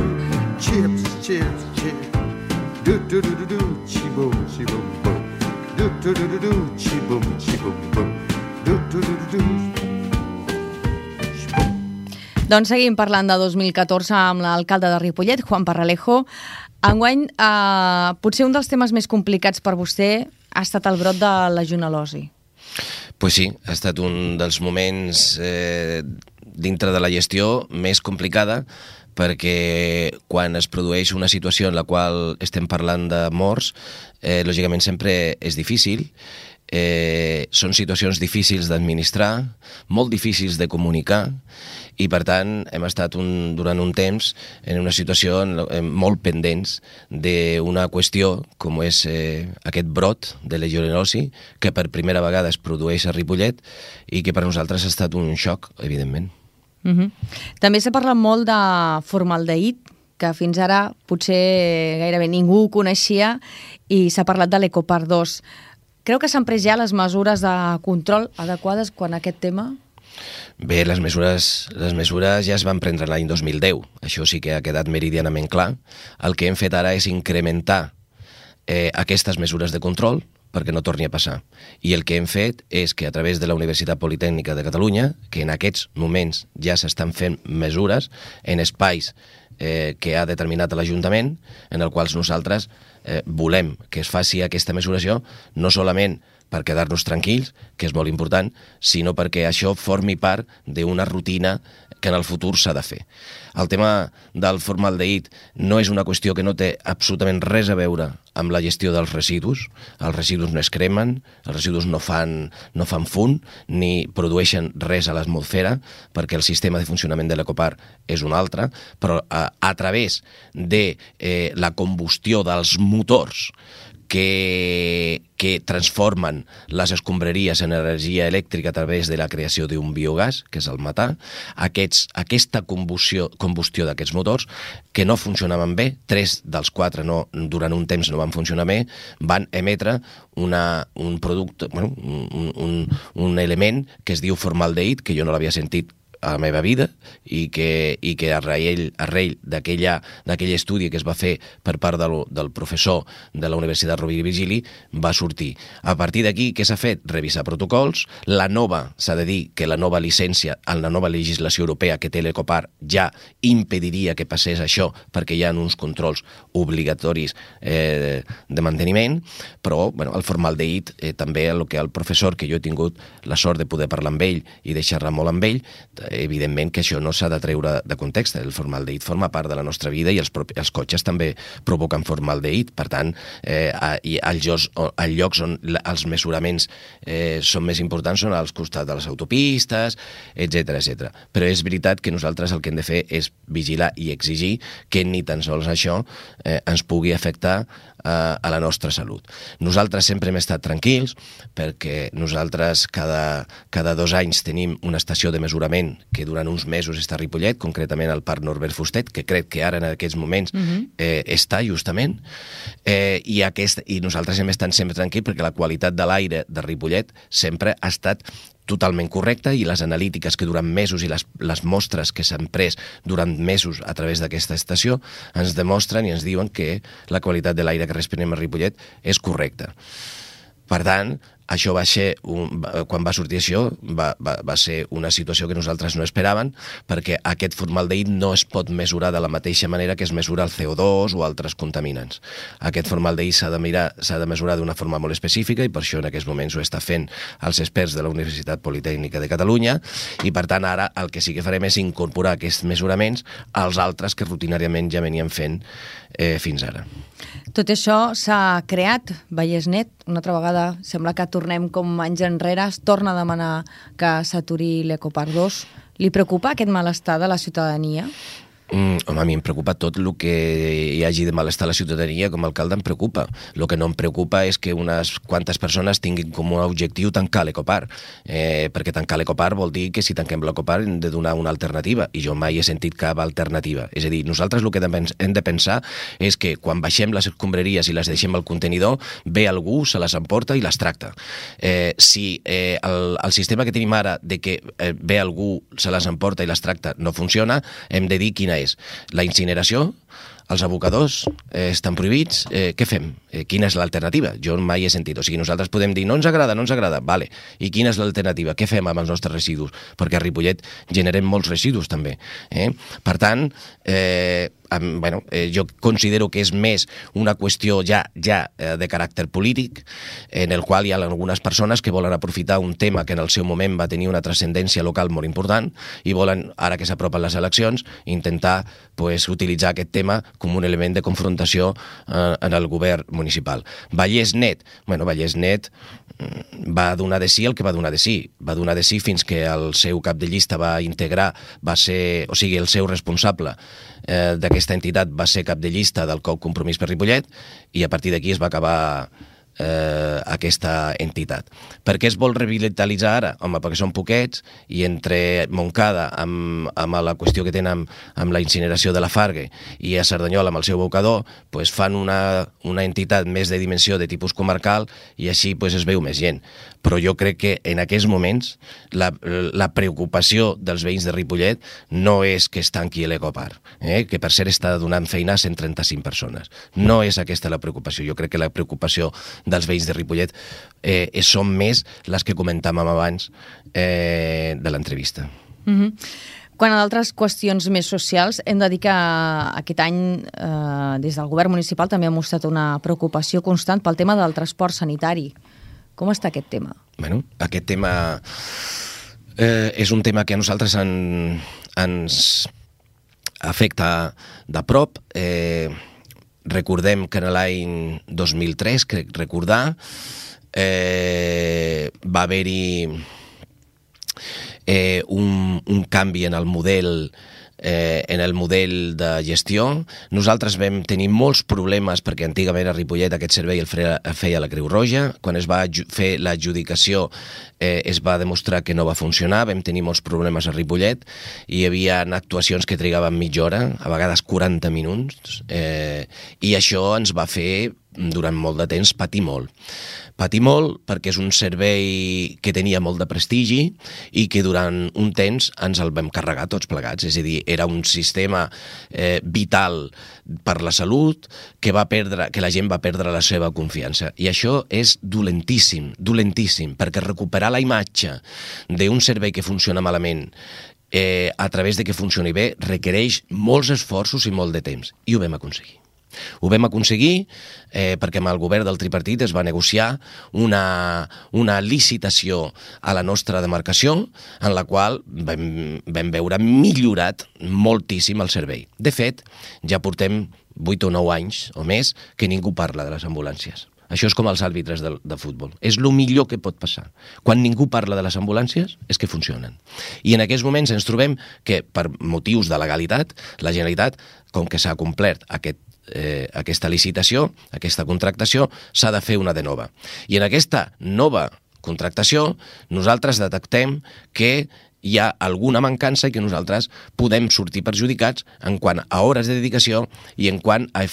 Chips, chips, chips. Do do do do do, chi-boom, chi-boom, boom. Do do do do do, chi-boom, chi-boom, boom. Do do do do do. Doncs seguim parlant de dos mil catorze amb l'alcalde de Ripollet, Juan Parralejo. Enguany, eh, potser un dels temes més complicats per vostè ha estat el brot de legionel·losi. Pues sí, ha estat un dels moments eh, dintre de la gestió més complicada, perquè quan es produeix una situació en la qual estem parlant de morts, eh, lògicament sempre és difícil, eh, són situacions difícils d'administrar, molt difícils de comunicar, i per tant hem estat un, durant un temps en una situació molt pendents d'una qüestió com és eh, aquest brot de legionel·losi que per primera vegada es produeix a Ripollet i que per nosaltres ha estat un xoc, evidentment. Uh-huh. També s'ha parlat molt de formaldehid, que fins ara potser gairebé ningú ho coneixia, i s'ha parlat de l'Ecopar dos. Creu que s'han pres ja les mesures de control adequades quan aquest tema? Bé, les mesures, les mesures ja es van prendre l'any dos mil deu. Això sí que ha quedat meridianament clar. El que hem fet ara és incrementar eh, aquestes mesures de control perquè no torni a passar. I el que hem fet és que a través de la Universitat Politècnica de Catalunya, que en aquests moments ja s'estan fent mesures en espais eh, que ha determinat l'Ajuntament, en els quals nosaltres eh, volem que es faci aquesta mesuració, no solament per quedar-nos tranquils, que és molt important, sinó perquè això formi part d'una rutina que en el futur s'ha de fer. El tema del formaldehid no és una qüestió que no té absolutament res a veure amb la gestió dels residus. Els residus no es cremen, els residus no fan, no fan fum, ni produeixen res a l'atmosfera, perquè el sistema de funcionament de l'Ecopar és un altre, però a, a través de eh, la combustió dels motors que, que transformen les escombraries en energia elèctrica a través de la creació d'un biogàs, que és el metà, aquests, aquesta combustió, combustió d'aquests motors, que no funcionaven bé, tres dels quatre no, durant un temps no van funcionar bé, van emetre una, un producte, bueno, un, un, un element que es diu formaldehid, que jo no l'havia sentit a la meva vida i que, i que arrel, arrel d'aquell estudi que es va fer per part del, del professor de la Universitat Rovira i Virgili va sortir. A partir d'aquí, què s'ha fet? Revisar protocols. La nova, s'ha de dir que la nova llicència, en la nova legislació europea que té l'Ecopar ja impediria que passés això perquè hi ha uns controls obligatoris eh, de manteniment, però bueno, el formaldehid eh, també el que el professor, que jo he tingut la sort de poder parlar amb ell i de xerrar molt amb ell, evidentment que això no s'ha de treure de context. El formaldehid forma part de la nostra vida i els, els cotxes també provoquen formaldehid. Per tant, eh, als llocs, als llocs on els mesuraments eh, són més importants són als costats de les autopistes, etcètera, etcètera. Però és veritat que nosaltres el que hem de fer és vigilar i exigir que ni tan sols això eh, ens pugui afectar a la nostra salut. Nosaltres sempre hem estat tranquils perquè nosaltres cada, cada dos anys tenim una estació de mesurament que durant uns mesos està a Ripollet, concretament al Parc Norbert Fustet, que crec que ara en aquests moments uh-huh. eh, està justament, eh, i, aquest, i nosaltres hem estat sempre tranquils perquè la qualitat de l'aire de Ripollet sempre ha estat totalment correcta i les analítiques que durant mesos i les, les mostres que s'han pres durant mesos a través d'aquesta estació ens demostren i ens diuen que la qualitat de l'aire que respirem a Ripollet és correcta. Per tant, això va ser, un, quan va sortir això, va, va, va ser una situació que nosaltres no esperàvem, perquè aquest formaldehid no es pot mesurar de la mateixa manera que es mesura el C O dos o altres contaminants. Aquest formaldehid s'ha de mirar, s'ha de mesurar d'una forma molt específica i per això en aquests moments ho està fent els experts de la Universitat Politècnica de Catalunya i per tant ara el que sí que farem és incorporar aquests mesuraments als altres que rutinàriament ja venien fent eh, fins ara. Tot això s'ha creat, Vallesnet, una altra vegada sembla que tornem com anys enrere, es torna a demanar que s'aturi l'Ecopar dos. Li preocupa aquest malestar de la ciutadania? Mm, home, a mi em preocupa tot el que hi hagi de malestar a la ciutadania, com a alcalde em preocupa. El que no em preocupa és que unes quantes persones tinguin com a objectiu tancar l'Ecopar, eh, perquè tancar l'Ecopar vol dir que si tanquem l'Ecopar hem de donar una alternativa, i jo mai he sentit cap alternativa. És a dir, nosaltres el que hem de pensar és que quan baixem les escombraries i les deixem al contenidor, ve algú, se les emporta i les tracta. Eh, si eh, el, el sistema que tenim ara de que eh, ve algú, se les emporta i les tracta no funciona, hem de dir quina és la incineració, els abocadors eh, estan prohibits, eh, què fem? Eh, quina és l'alternativa? Jo mai he sentit. O sigui, nosaltres podem dir, no ens agrada, no ens agrada, vale. I quina és l'alternativa? Què fem amb els nostres residus? Perquè a Ripollet generem molts residus també. Eh? Per tant, eh, amb, bueno, eh, jo considero que és més una qüestió ja, ja eh, de caràcter polític, en el qual hi ha algunes persones que volen aprofitar un tema que en el seu moment va tenir una transcendència local molt important i volen, ara que s'apropen les eleccions, intentar pues, utilitzar aquest tema com un element de confrontació eh, en el govern municipal. Vallès Net, bueno, Vallès Net va donar de sí el que va donar de sí. Va donar de sí fins que el seu cap de llista va integrar, va ser, o sigui, el seu responsable eh, d'aquesta entitat va ser cap de llista del C O U Compromís per Ripollet, i a partir d'aquí es va acabar eh, aquesta entitat. Per què es vol revitalitzar ara? Home, perquè són poquets, i entre Montcada, amb, amb la qüestió que tenen amb, amb la incineració de la Fargue, i a Cerdanyola amb el seu bocador, pues fan una, una entitat més de dimensió de tipus comarcal, i així pues, es veu més gent. Però jo crec que en aquests moments la, la preocupació dels veïns de Ripollet no és que es tanqui l'Ecopar, eh? que per cert està donant feina a cent trenta-cinc persones. No és aquesta la preocupació. Jo crec que la preocupació dels veïns de Ripollet eh, són més les que comentàvem abans eh, de l'entrevista. Mm-hmm. Quan a d'altres qüestions més socials, hem de dir que aquest any eh, des del govern municipal també ha mostrat una preocupació constant pel tema del transport sanitari. Com està aquest tema? Bueno, aquest tema eh, és un tema que a nosaltres en, ens afecta de prop. Eh, recordem que en l'any dos mil tres, crec recordar, eh, va haver-hi eh, un, un canvi en el model Eh, en el model de gestió. Nosaltres vam tenir molts problemes perquè antigament a Ripollet aquest servei el feia, el feia la Creu Roja. Quan es va fer l'adjudicació eh, es va demostrar que no va funcionar, vam tenir molts problemes a Ripollet, i hi havia actuacions que trigaven mitja hora, a vegades quaranta minuts, eh, i això ens va fer durant molt de temps patir molt. Patir molt perquè és un servei que tenia molt de prestigi i que durant un temps ens el vam carregar tots plegats. És a dir, era un sistema eh, vital per la salut que, va perdre, que la gent va perdre la seva confiança. I això és dolentíssim, dolentíssim, perquè recuperar la imatge d'un servei que funciona malament eh, a través de que funcioni bé requereix molts esforços i molt de temps. I ho vam aconseguir. Ho vam aconseguir eh, perquè amb el govern del tripartit es va negociar una, una licitació a la nostra demarcació en la qual vam, vam veure millorat moltíssim el servei. De fet, ja portem vuit o nou anys o més que ningú parla de les ambulàncies. Això és com els àrbitres de, de futbol. És el millor que pot passar. Quan ningú parla de les ambulàncies és que funcionen. I en aquests moments ens trobem que, per motius de legalitat, la Generalitat, com que s'ha complert aquest Eh, aquesta licitació, aquesta contractació, s'ha de fer una de nova. I en aquesta nova contractació nosaltres detectem que hi ha alguna mancança i que nosaltres podem sortir perjudicats en quant a hores de dedicació i en quant a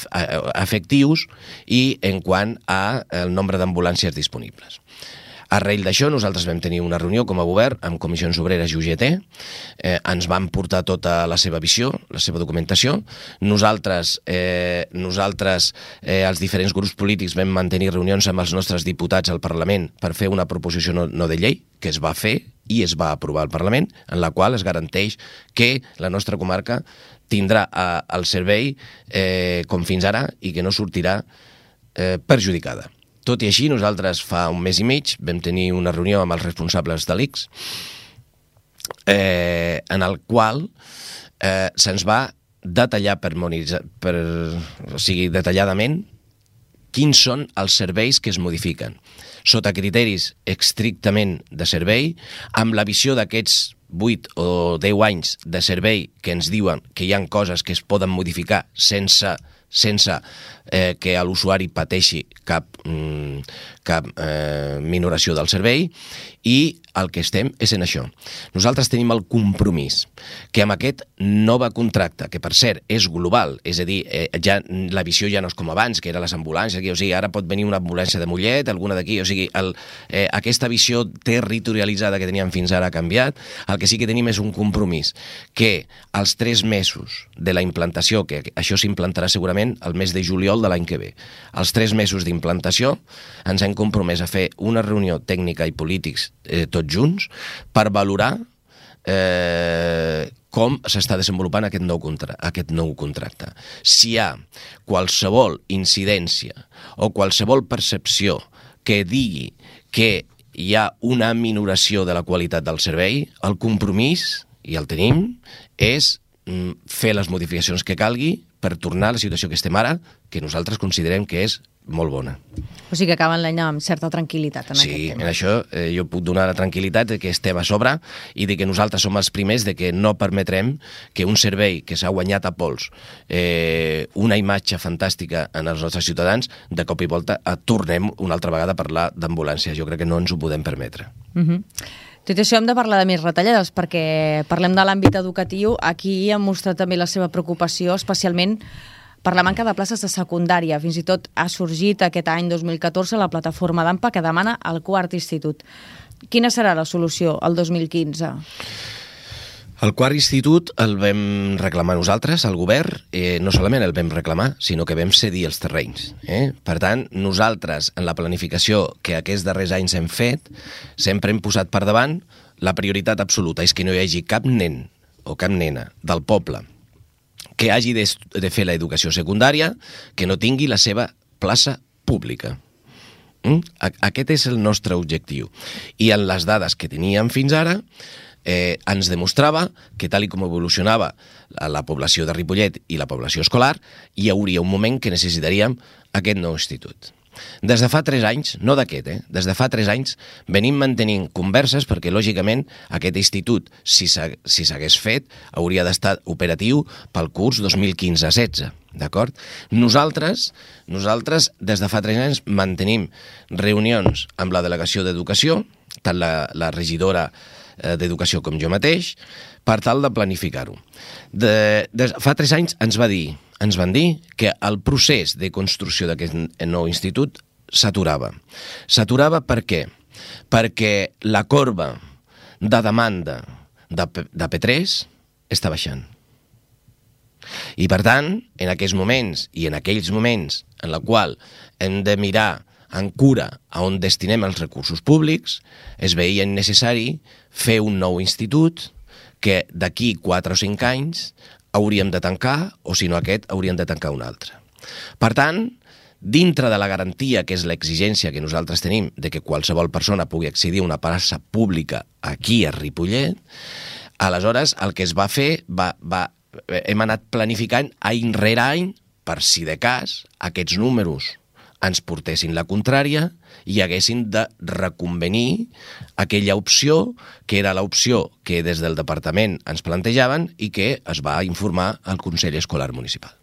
efectius i en quant a el nombre d'ambulàncies disponibles. Arrel d'això, nosaltres vam tenir una reunió com a govern amb Comissions Obreres i U G T, eh, ens van portar tota la seva visió, la seva documentació. Nosaltres, eh, nosaltres eh, els diferents grups polítics vam mantenir reunions amb els nostres diputats al Parlament per fer una proposició no, no de llei, que es va fer i es va aprovar al Parlament, en la qual es garanteix que la nostra comarca tindrà eh, el servei eh, com fins ara i que no sortirà eh, perjudicada. Tot i així, nosaltres fa un mes i mig vam tenir una reunió amb els responsables de l'I C S eh, en el qual eh, se'ns va detallar per, per, o sigui, detalladament quins són els serveis que es modifiquen, sota criteris estrictament de servei, amb la visió d'aquests vuit o deu anys de servei que ens diuen que hi ha coses que es poden modificar sense sense eh, que l'usuari pateixi cap, mm, cap eh, minoració del servei, i el que estem és en això. Nosaltres tenim el compromís que amb aquest nou contracte, que per cert és global, és a dir, eh, ja, la visió ja no és com abans, que era les ambulàncies, aquí, o sigui, ara pot venir una ambulància de Mollet, alguna d'aquí, o sigui, el, eh, aquesta visió territorialitzada que teníem fins ara ha canviat. El que sí que tenim és un compromís que als tres mesos de la implantació, que això s'implantarà segurament el mes de juliol de l'any que ve, als tres mesos d'implantació ens hem compromès a fer una reunió tècnica i polítics eh, tots junts per valorar eh, com s'està desenvolupant aquest nou, contra aquest nou contracte. Si hi ha qualsevol incidència o qualsevol percepció que digui que hi ha una minoració de la qualitat del servei, el compromís, i el tenim, és mm, fer les modificacions que calgui per tornar a la situació que estem ara, que nosaltres considerem que és molt bona. O sigui que acaben l'any amb certa tranquil·litat en sí, aquest tema. Sí, en això eh, jo puc donar la tranquil·litat de que estem a sobre i de que nosaltres som els primers de que no permetrem que un servei que s'ha guanyat a pols eh, una imatge fantàstica en els nostres ciutadans, de cop i volta eh, tornem una altra vegada a parlar d'ambulància. Jo crec que no ens ho podem permetre. Uh-huh. Tot això hem de parlar de més retallades, perquè parlem de l'àmbit educatiu. Aquí han mostrat també la seva preocupació, especialment per la manca de places de secundària. Fins i tot ha sorgit aquest any dos mil catorze la plataforma d'AMPA que demana el quart institut. Quina serà la solució el dos mil quinze? El quart institut el vam reclamar nosaltres, el govern, eh, no solament el vam reclamar, sinó que vam cedir els terrenys. Eh? Per tant, nosaltres, en la planificació que aquests darrers anys hem fet, sempre hem posat per davant la prioritat absoluta, és que no hi hagi cap nen o cap nena del poble que hagi de, de fer l'educació secundària que no tingui la seva plaça pública. Mm? Aquest és el nostre objectiu. I en les dades que teníem fins ara, eh, ens demostrava que tal i com evolucionava la, la població de Ripollet i la població escolar, hi hauria un moment que necessitaríem aquest nou institut. Des de fa tres anys, no d'aquest, eh? des de fa tres anys, venim mantenint converses perquè, lògicament, aquest institut, si s'hagués fet, hauria d'estar operatiu pel curs dos mil quinze setze, d'acord? Nosaltres, nosaltres, des de fa tres anys, mantenim reunions amb la delegació d'Educació, tant la, la regidora d'Educació com jo mateix, per tal de planificar-ho. De, de, fa tres anys ens va dir ens van dir que el procés de construcció d'aquest nou institut s'aturava. S'aturava per què? Perquè la corba de demanda de, de P tres està baixant. I per tant, en aquests moments i en aquells moments en la qual hem de mirar en cura a on destinem els recursos públics, es veia necessari fer un nou institut que d'aquí quatre o cinc anys hauríem de tancar, o si no aquest, hauríem de tancar un altre. Per tant, dintre de la garantia, que és l'exigència que nosaltres tenim de que qualsevol persona pugui accedir a una plaça pública aquí a Ripollet, aleshores el que es va fer, va, va, hem anat planificant any rere any, per si de cas aquests números ens portessin la contrària i haguessin de reconvenir aquella opció que era l'opció que des del departament ens plantejaven i que es va informar al Consell Escolar Municipal.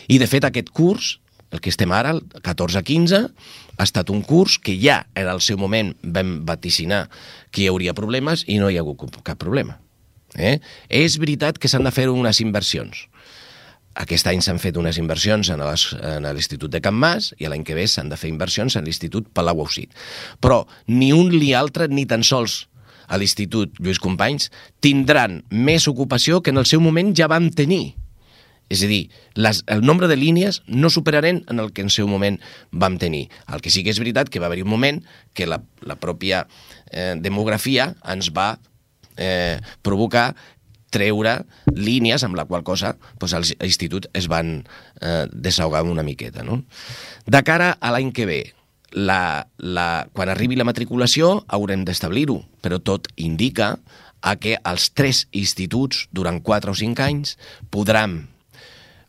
I, de fet, aquest curs, el que estem ara, el catorze quinze, ha estat un curs que ja en el seu moment vam vaticinar que hi hauria problemes i no hi ha hagut cap problema. Eh? És veritat que s'han de fer unes inversions. Aquest any s'han fet unes inversions en l'Institut de Can Mas i l'any que ve s'han de fer inversions en l'Institut Palau-Ausit. Però ni un ni altre, ni tan sols a l'Institut Lluís Companys, tindran més ocupació que en el seu moment ja vam tenir. És a dir, les, el nombre de línies no superaren en el que en seu moment vam tenir. El que sí que és veritat que va haver-hi un moment que la, la pròpia eh, demografia ens va eh, provocar treure línies amb la qual cosa doncs, els instituts es van eh, desahogar una miqueta. No? De cara a l'any que ve, la, la, quan arribi la matriculació haurem d'establir-ho, però tot indica a que els tres instituts durant quatre o cinc anys podran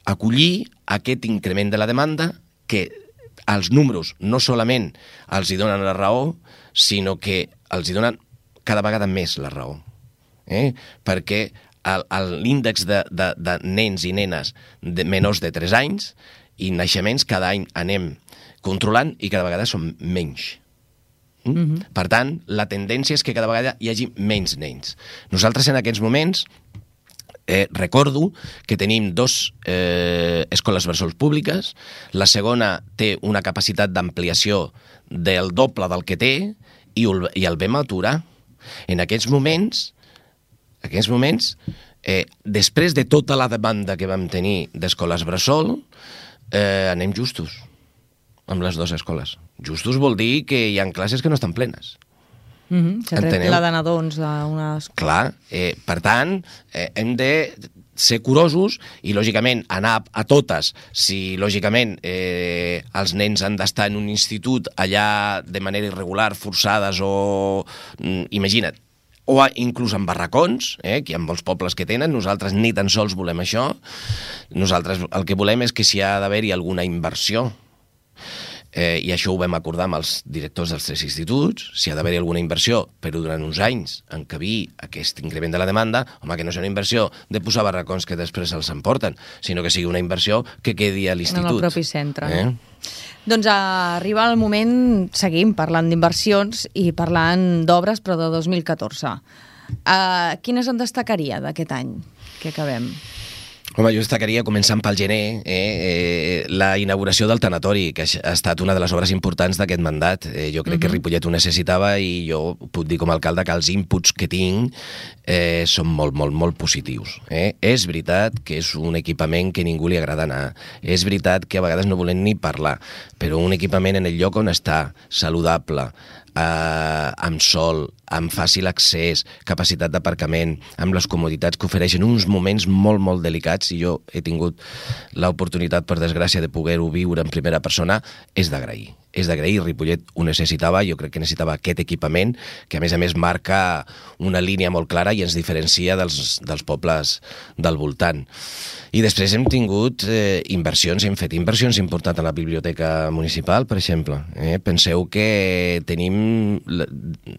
acollir aquest increment de la demanda que els números no solament els hi donen la raó, sinó que els hi donen cada vegada més la raó. Eh? Perquè l'índex de, de, de nens i nenes de menors de tres anys i naixements cada any anem controlant i cada vegada són menys. Mm? Mm-hmm. Per tant, la tendència és que cada vegada hi hagi menys nens. Nosaltres en aquests moments eh, recordo que tenim dos eh, escoles bressol públiques, la segona té una capacitat d'ampliació del doble del que té i el, i el vam aturar. En aquests moments En aquests moments, eh, després de tota la demanda que vam tenir d'escoles bressol, eh, anem justos amb les dues escoles. Justos vol dir que hi ha classes que no estan plenes. Mm-hmm. S'ha tret la de nadons d'una escola. Clar, eh, per tant, eh, hem de ser curosos i, lògicament, anar a totes. Si, lògicament, eh, els nens han d'estar en un institut allà de manera irregular, forçades o... Mm, imagina't, o inclús en barracons, eh, que hi ha molts pobles que tenen. Nosaltres ni tan sols volem això. Nosaltres el que volem és que si ha d'haver-hi alguna inversió, eh, i això ho vam acordar amb els directors dels tres instituts, si ha d'haver-hi alguna inversió, però durant uns anys encabir aquest increment de la demanda, home, que no sigui una inversió de posar barracons que després els emporten, sinó que sigui una inversió que quedi a l'institut. En el propi centre. Eh? Doncs arriba el moment, seguim parlant d'inversions i parlant d'obres, però de dos mil catorze. Uh, quines en destacaria d'aquest any que acabem? Home, jo destacaria, començant pel gener, eh, eh, la inauguració del tanatori, que ha estat una de les obres importants d'aquest mandat. Eh, jo crec uh-huh. que Ripollet ho necessitava i jo puc dir com a alcalde que els inputs que tinc eh, són molt, molt, molt positius. Eh? És veritat que és un equipament que ningú li agrada anar. És veritat que a vegades no volem ni parlar, però un equipament en el lloc on està, saludable, eh, amb sol, amb fàcil accés, capacitat d'aparcament, amb les comoditats que ofereixen uns moments molt, molt delicats, i jo he tingut l'oportunitat, per desgràcia, de poder-ho viure en primera persona, és d'agrair. És d'agrair, Ripollet ho necessitava, jo crec que necessitava aquest equipament, que a més a més marca una línia molt clara i ens diferencia dels, dels pobles del voltant. I després hem tingut eh, inversions, hem fet inversions importants a la biblioteca municipal, per exemple. Eh? Penseu que tenim la,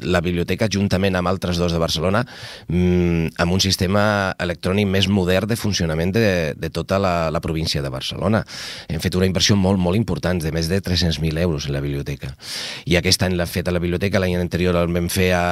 la biblioteca, juntament amb altres dos de Barcelona, mmm, amb un sistema electrònic més modern de funcionament de, de tota la, la província de Barcelona. Hem fet una inversió molt, molt important, de més de tres-cents mil euros en la biblioteca. I aquest any l'hem fet a la biblioteca, l'any anterior el vam fer a,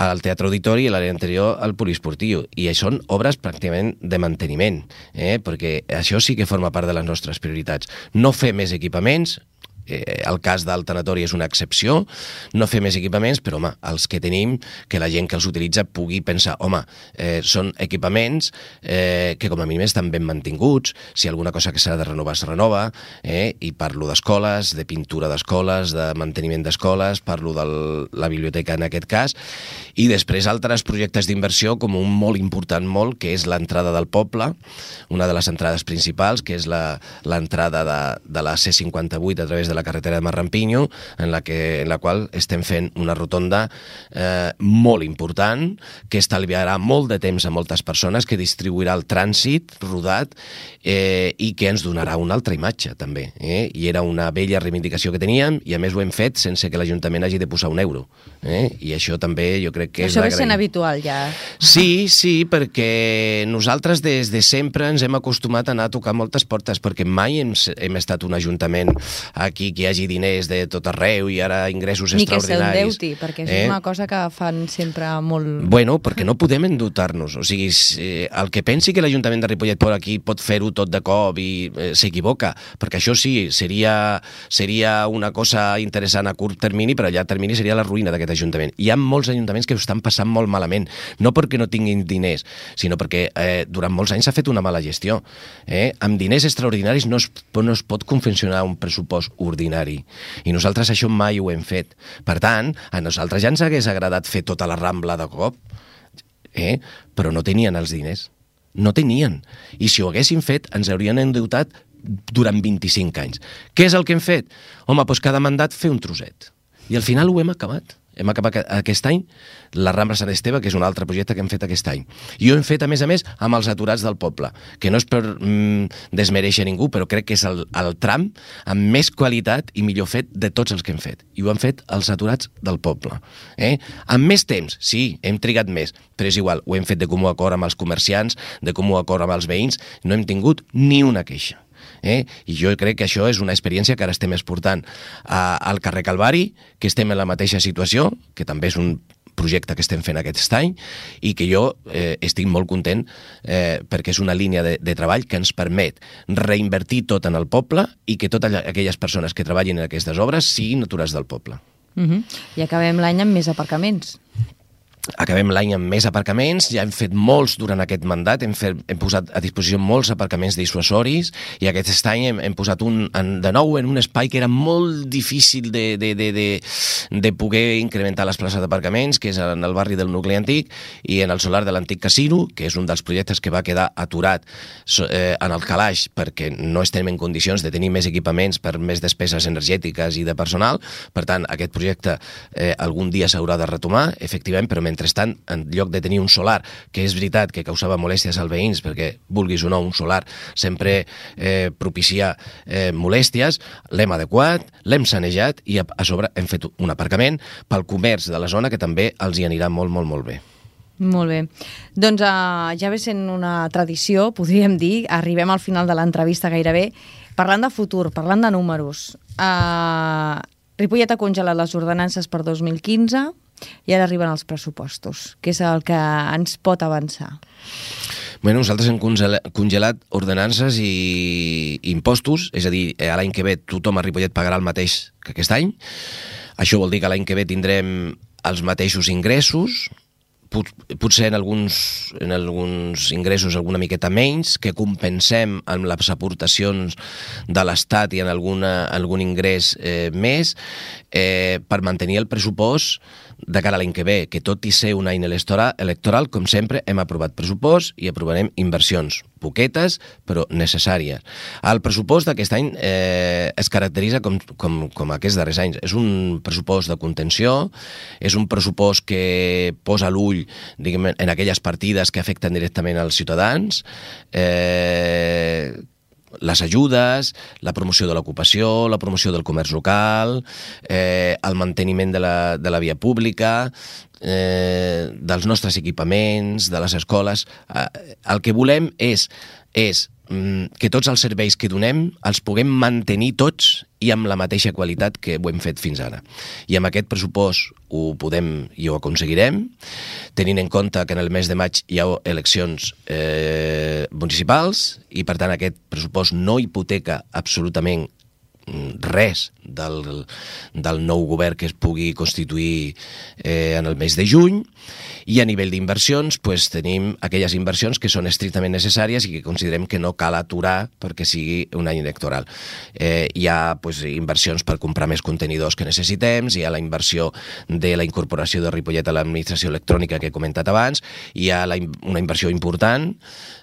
al Teatre Auditori i l'any anterior al Poliesportiu. I són obres pràcticament de manteniment, eh? Perquè això sí que forma part de les nostres prioritats. No fer més equipaments, eh, el cas del tanatori és una excepció, no fer més equipaments, però home, els que tenim, que la gent que els utilitza pugui pensar, home, eh, són equipaments eh, que com a mínim estan ben mantinguts, si alguna cosa que s'ha de renovar es renova, eh, i parlo d'escoles, de pintura d'escoles, de manteniment d'escoles, parlo de la biblioteca en aquest cas, i després altres projectes d'inversió, com un molt important molt, que és l'entrada del poble, una de les entrades principals, que és l'entrada de, de la C cinquanta-vuit a través de la carretera de Marrampinyo, en la, que, en la qual estem fent una rotonda eh, molt important, que estalviarà molt de temps a moltes persones, que distribuirà el trànsit rodat eh, i que ens donarà una altra imatge, també. Eh? I era una vella reivindicació que teníem, i a més ho hem fet sense que l'Ajuntament hagi de posar un euro. Eh? I això també jo crec que això és ve sent habitual, ja. Sí, sí, perquè nosaltres des de sempre ens hem acostumat a anar a tocar moltes portes, perquè mai hem, hem estat un ajuntament aquí que hi hagi diners de tot arreu i ara ingressos ni extraordinaris. Ni que s'endeuti, perquè això eh? és una cosa que fan sempre molt... Bueno, perquè no podem endeutar-nos. O sigui, el que pensi que l'Ajuntament de Ripollet per aquí pot fer-ho tot de cop i eh, s'equivoca, perquè això sí, seria, seria una cosa interessant a curt termini, però a llarg termini seria la ruïna d'aquest Ajuntament. Hi ha molts ajuntaments que ho estan passant molt malament, no perquè no tinguin diners, sinó perquè eh, durant molts anys s'ha fet una mala gestió. Eh? Amb diners extraordinaris no es, no es pot confeccionar un pressupost ordinari. I nosaltres això mai ho hem fet. Per tant, a nosaltres ja ens hagués agradat fer tota la Rambla de cop, eh? Però no tenien els diners. No tenien. I si ho haguessin fet, ens haurien endeutat durant vint-i-cinc anys. Què és el que hem fet? Home, doncs cada mandat fer un trosset. I al final ho hem acabat. Hem acabat aquest any la Rambla Sant Esteve, que és un altre projecte que hem fet aquest any. I ho hem fet, a més a més, amb els aturats del poble, que no és per mm, desmereixer ningú, però crec que és el, el tram amb més qualitat i millor fet de tots els que hem fet. I ho han fet els aturats del poble. Eh? Amb més temps, sí, hem trigat més, però és igual, ho hem fet de comú acord amb els comerciants, de comú acord amb els veïns, no hem tingut ni una queixa. Eh? I jo crec que això és una experiència que ara estem exportant a, al carrer Calvari, que estem en la mateixa situació, que també és un projecte que estem fent aquest any i que jo eh, estic molt content eh, perquè és una línia de, de treball que ens permet reinvertir tot en el poble i que totes aquelles persones que treballin en aquestes obres siguin aturats del poble. Uh-huh. I acabem l'any amb més aparcaments. Acabem l'any amb més aparcaments, ja hem fet molts durant aquest mandat, hem, fet, hem posat a disposició molts aparcaments dissuasoris i aquest any hem, hem posat un, en, de nou en un espai que era molt difícil de, de, de, de, de poder incrementar les places d'aparcaments, que és en el barri del nucli antic i en el solar de l'antic casino, que és un dels projectes que va quedar aturat eh, en el calaix perquè no estem en condicions de tenir més equipaments per més despeses energètiques i de personal. Per tant, aquest projecte eh, algun dia s'haurà de retomar, efectivament, però mentrestant, en lloc de tenir un solar, que és veritat que causava molèsties als veïns, perquè, vulguis o no, un solar sempre eh, propicia eh, molèsties, l'hem adequat, l'hem sanejat i a, a sobre hem fet un aparcament pel comerç de la zona que també els hi anirà molt, molt, molt bé. Molt bé. Doncs uh, ja ve sent una tradició, podríem dir, arribem al final de l'entrevista gairebé, parlant de futur, parlant de números. Uh, Ripollet ha congelat les ordenances per dos mil quinze i ara arriben els pressupostos, que és el que ens pot avançar. Bé, nosaltres hem congelat ordenances i impostos, és a dir, l'any que ve tothom a Ripollet pagarà el mateix que aquest any. Això vol dir que l'any que ve tindrem els mateixos ingressos, potser en alguns, en alguns ingressos alguna miqueta menys, que compensem amb les aportacions de l'Estat i en alguna, algun ingrés eh, més, eh, per mantenir el pressupost de cara a l'any que ve, que tot i ser un any electoral, com sempre, hem aprovat pressupost i aprovarem inversions, poquetes, però necessàries. El pressupost d'aquest any eh, es caracteritza com, com, com aquests darrers anys. És un pressupost de contenció, és un pressupost que posa l'ull, diguem, en aquelles partides que afecten directament als ciutadans, eh, les ajudes, la promoció de l'ocupació, la promoció del comerç local, eh, el manteniment de la, de la via pública, eh, dels nostres equipaments, de les escoles. Eh, el que volem és, és que tots els serveis que donem els puguem mantenir tots i amb la mateixa qualitat que ho hem fet fins ara. I amb aquest pressupost ho podem i ho aconseguirem, tenint en compte que en el mes de maig hi ha eleccions eh, municipals i, per tant, aquest pressupost no hipoteca absolutament res del, del nou govern que es pugui constituir eh, en el mes de juny. I a nivell d'inversions, pues, tenim aquelles inversions que són estrictament necessàries i que considerem que no cal aturar perquè sigui un any electoral. Eh, hi ha pues, inversions per comprar més contenidors que necessitem, hi ha la inversió de la incorporació de Ripollet a l'administració electrònica que he comentat abans, hi ha la, una inversió important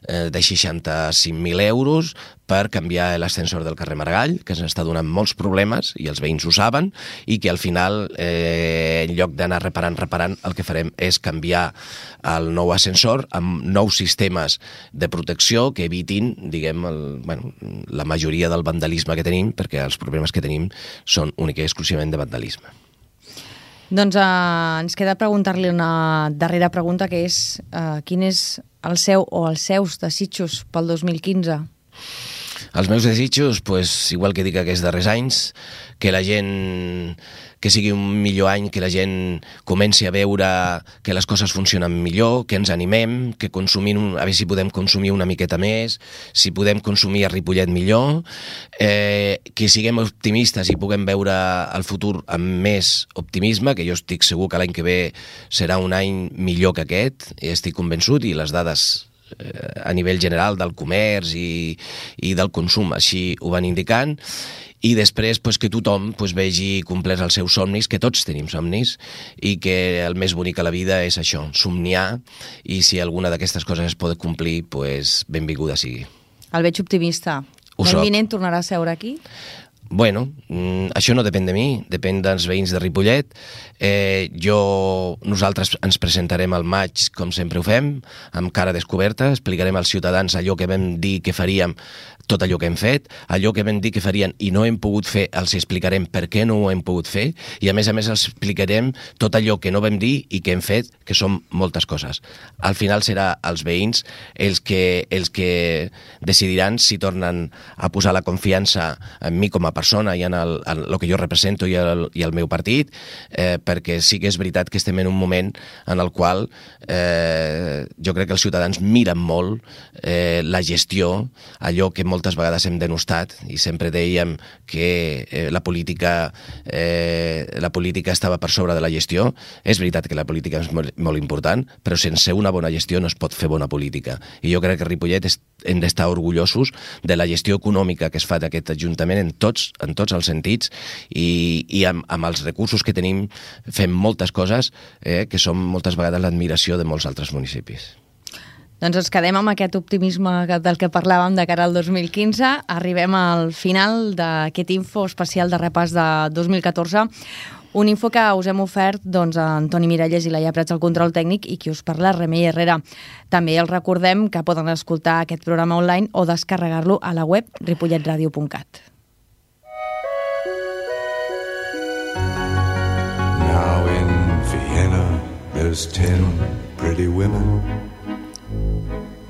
eh, de seixanta-cinc mil euros per canviar l'ascensor del carrer Maragall, que ens està donant molts problemes i els veïns ho saben, i que al final, eh, en lloc d'anar reparant, reparant, el que farem és canviar el nou ascensor amb nous sistemes de protecció que evitin, diguem, el, bueno, la majoria del vandalisme que tenim, perquè els problemes que tenim són únicament i exclusivament de vandalisme. Doncs eh, ens queda preguntar-li una darrera pregunta, que és eh, quin és el seu o els seus desitjos pel dos mil quinze? Els meus desitjos, pues, igual que dic aquests darrers anys, que la gent, que sigui un millor any, que la gent comenci a veure que les coses funcionen millor, que ens animem, que consumim, a veure si podem consumir una miqueta més, si podem consumir a Ripollet millor, eh, que siguem optimistes i puguem veure el futur amb més optimisme, que jo estic segur que l'any que ve serà un any millor que aquest, i estic convençut, i les dades a nivell general del comerç i, i del consum així ho van indicant, i després pues, que tothom pues, vegi complerts els seus somnis, que tots tenim somnis, i que el més bonic a la vida és això, somniar, i si alguna d'aquestes coses es pot complir, pues, benvinguda sigui. El veig optimista. L'any vinent tornarà a seure aquí? Bueno, això no depèn de mi, depèn dels veïns de Ripollet. Eh, jo, nosaltres ens presentarem al maig, com sempre ho fem, amb cara descoberta, explicarem als ciutadans allò que vam dir que faríem, tot allò que hem fet, allò que vam dir que farien i no hem pogut fer, els explicarem per què no ho hem pogut fer, i a més a més els explicarem tot allò que no vam dir i que hem fet, que són moltes coses. Al final serà els veïns els que, els que decidiran si tornen a posar la confiança en mi com a persona i en el, en el que jo represento i el, i el meu partit, eh, perquè sí que és veritat que estem en un moment en el qual eh, jo crec que els ciutadans miren molt eh, la gestió, allò que moltes vegades hem denostat i sempre dèiem que eh, la política eh, la política estava per sobre de la gestió. És veritat que la política és molt, molt important, però sense una bona gestió no es pot fer bona política. I jo crec que a Ripollet és, hem d'estar orgullosos de la gestió econòmica que es fa d'aquest Ajuntament en tots, en tots els sentits, i, i amb, amb els recursos que tenim fem moltes coses eh, que són moltes vegades l'admiració de molts altres municipis. Doncs ens quedem amb aquest optimisme del que parlàvem de cara al dos mil quinze. Arribem al final d'aquest info especial de repàs de dos mil catorze. Un info que us hem ofert doncs, a Antoni Miralles i Laia Prats al control tècnic i qui us parla, Remei Herrera. També els recordem que poden escoltar aquest programa online o descarregar-lo a la web ripollet ràdio punt cat. Now in Vienna there's ten pretty women.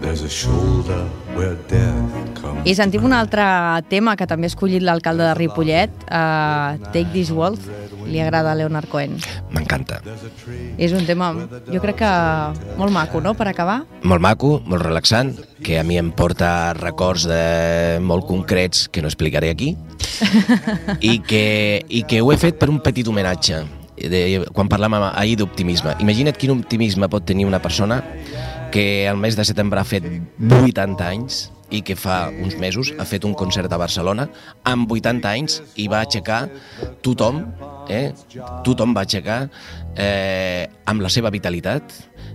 There's a shoulder where death comes. I sentim un altre tema que també ha escollit l'alcalde de Ripollet, uh, Take This Waltz. Li agrada a Leonard Cohen. M'encanta. És un tema, jo crec que molt maco, no?, per acabar. Molt maco, molt relaxant, que a mi em porta records de molt concrets que no explicaré aquí i que, i que ho he fet per un petit homenatge. De, quan parlàvem ahir d'optimisme. Imagina't quin optimisme pot tenir una persona que el mes de setembre ha fet vuitanta anys i que fa uns mesos ha fet un concert a Barcelona amb vuitanta anys i va aixecar tothom, eh? tothom va aixecar eh, amb la seva vitalitat,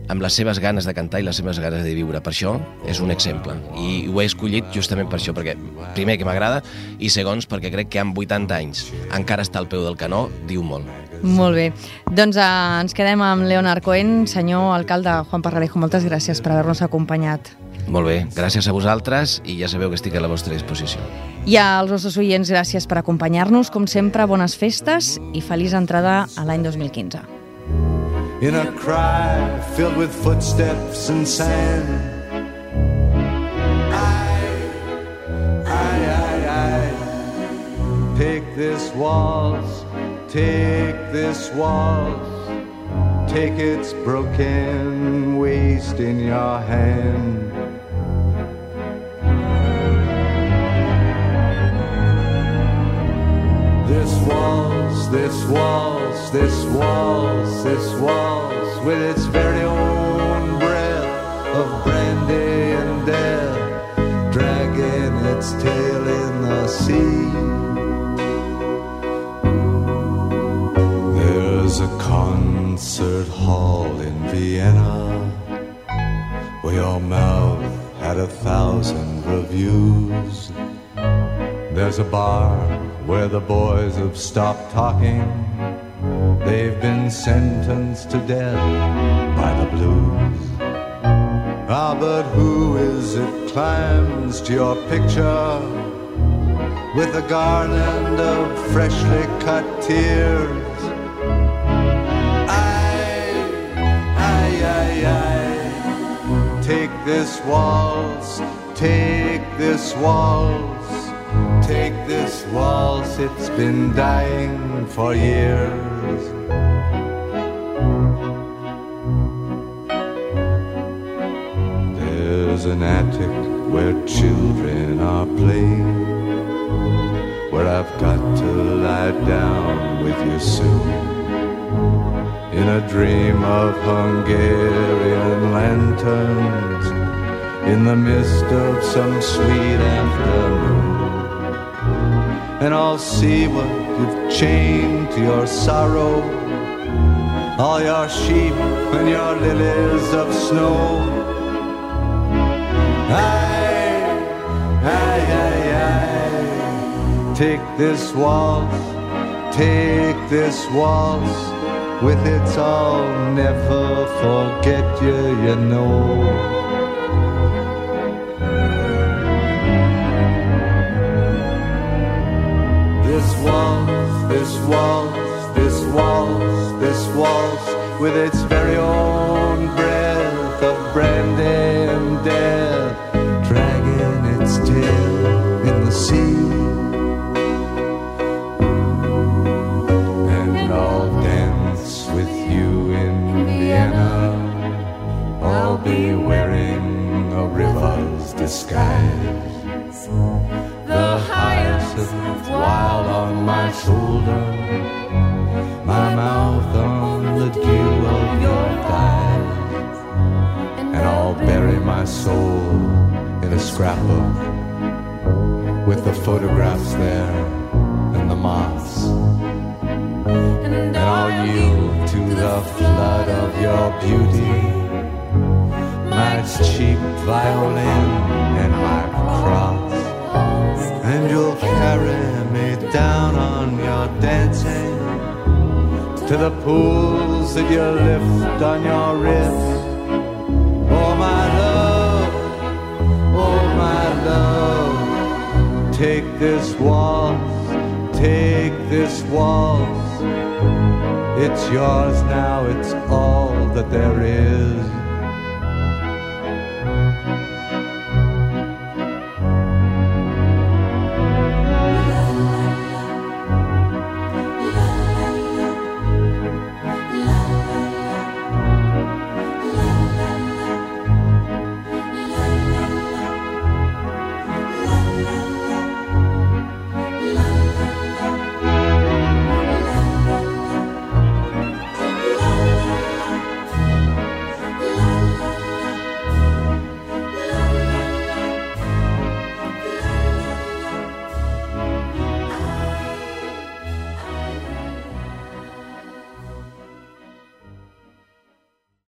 amb les seves ganes de cantar i les seves ganes de viure. Per això és un exemple. I ho he escollit justament per això, perquè primer que m'agrada i segons perquè crec que amb vuitanta anys encara està al peu del canó, diu molt. Molt bé. Doncs eh, ens quedem amb Leonard Cohen. Senyor alcalde Juan Parralejo, moltes gràcies per haver-nos acompanyat. Molt bé, gràcies a vosaltres i ja sabeu que estic a la vostra disposició. I als nostres oients, gràcies per acompanyar-nos. Com sempre, bones festes i feliç entrada a l'any dos mil quinze. In a cry filled with footsteps and sand, I, I, I, I take this waltz, take this waltz, take its broken waist in your hand. This waltz, this waltz, this waltz, this waltz, with its very own breath of brandy and death, dragging its tail in the sea. There's a concert hall in Vienna where your mouth had a thousand reviews. There's a bar where the boys have stopped talking. They've been sentenced to death by the blues. Ah, but who is it climbs to your picture with a garland of freshly cut tears? I, I, I, I take this waltz, take this waltz, take this waltz, it's been dying for years. There's an attic where children are playing, where I've got to lie down with you soon, in a dream of Hungarian lanterns, in the mist of some sweet afternoon. And I'll see what you've chained to your sorrow, all your sheep and your lilies of snow. I, I, I, I take this waltz, take this waltz, with its I'll never forget you, you know. This waltz, this waltz, this waltz, this waltz, with its very own breath of brandy and death, dragging its tail in the sea. And I'll dance with you in Vienna, I'll be wearing a river's disguise, the hyacinth wild on my shoulder, my mouth on the dew of your thighs, and I'll bury my soul in a scrapbook with the photographs there and the moths, and I'll yield to the flood of your beauty, my cheap violin and my cross. And you'll carry me down on your dancing to the pools that you lift on your wrist. Oh my love, oh my love, take this waltz, take this waltz. It's yours now, it's all that there is.